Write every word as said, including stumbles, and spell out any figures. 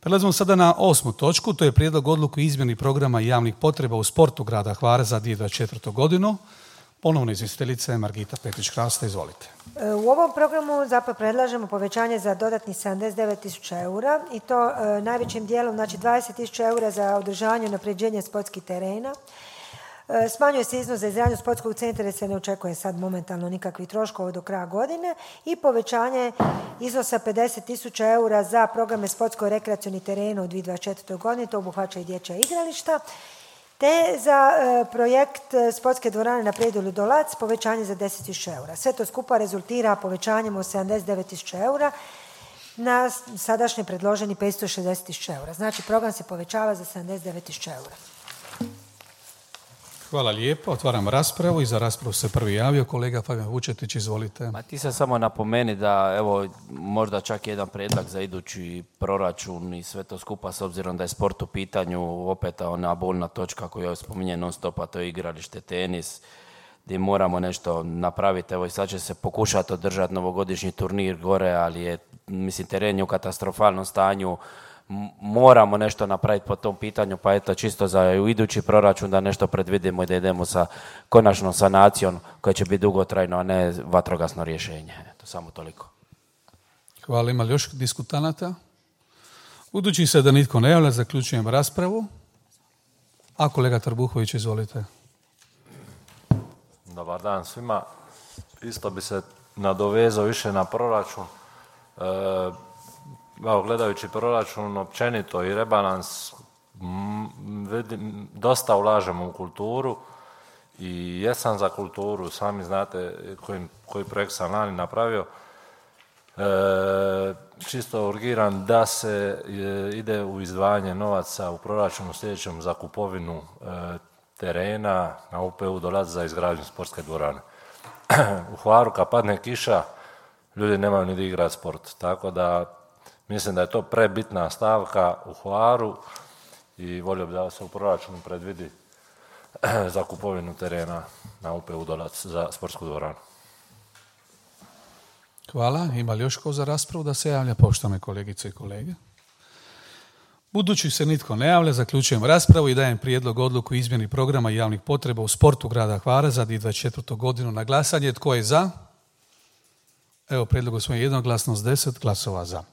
Prelazimo sada na osmu točku, to je prijedlog odluke o izmjeni programa javnih potreba u sportu grada Hvara za dvije tisuće dvadeset četvrtu. godinu. Ponovno izvjestiteljica Margita Petrić-Krasta, izvolite. U ovom programu zapravo predlažemo povećanje za dodatnih sedamdeset devet tisuća eura i to e, najvećim dijelom, znači dvadeset tisuća eura za održavanje i unapređenje sportskih terena. E, smanjuje se iznos za izgradnju sportskog centra jer se ne očekuje sad momentalno nikakvih troškova do kraja godine i povećanje iznosa pedeset tisuća eura za programe sportsko-rekreacionih terena u dvije tisuće dvadeset četvrtoj. godini, to obuhvaća i dječja igrališta. Te za e, projekt sportske dvorane na predjelu Dolac povećanje za deset tisuća eura. Sve to skupa rezultira povećanjem od sedamdeset devet tisuća eura na sadašnje predloženi petsto šezdeset tisuća eura. Znači program se povećava za sedamdeset devet tisuća eura. Hvala lijepo. Otvaram raspravu i za raspravu se prvi javio kolega Fabijan Vučetić, izvolite. Ma ti se samo napomeni da evo možda čak jedan prijedlog za idući proračun i sve to skupa s obzirom da je sport u pitanju, opet ona bolna točka koju je spominje non stop, a to je igralište, tenis, gdje moramo nešto napraviti. Evo i sad će se pokušati održati novogodišnji turnir gore, ali je, mislim, teren je u katastrofalnom stanju. Moramo nešto napraviti po tom pitanju, pa eto čisto za u idući proračun da nešto predvidimo i da idemo sa konačnom sanacijom koja će biti dugotrajno, a ne vatrogasno rješenje. Eto, samo toliko. Hvala. Ima li još diskutanata? Budući se da nitko ne javlja, zaključujem raspravu. A kolega Trbuhović, izvolite. Dobar dan svima. Isto bi se nadovezao više na proračun. E, Evo, gledajući proračun općenito i rebalans, m, vidim, dosta ulažemo u kulturu i jesam za kulturu, sami znate koji, koji projekt sam lani napravio. E, čisto urgiram da se e, ide u izdvajanje novaca u proračunu sljedećem za kupovinu e, terena na U P U Dolac za izgradnju sportske dvorane. U Hvaru kad padne kiša, ljudi nemaju ni da igrati sport, tako da mislim da je to prebitna stavka u Hvaru i volio bi da se u proračunu predvidi za kupovinu terena na U P U Dolac za sportsku dvoranu. Hvala. Ima li još ko za raspravu da se javlja, poštovane kolegice i kolege? Budući se nitko ne javlja, zaključujem raspravu i dajem prijedlog odluku o izmjeni programa javnih potreba u sportu grada Hvara za dvije tisuće dvadeset četvrtu. godinu na glasanje. Tko je za? Evo, prijedlog usvojen jednoglasno s deset glasova za.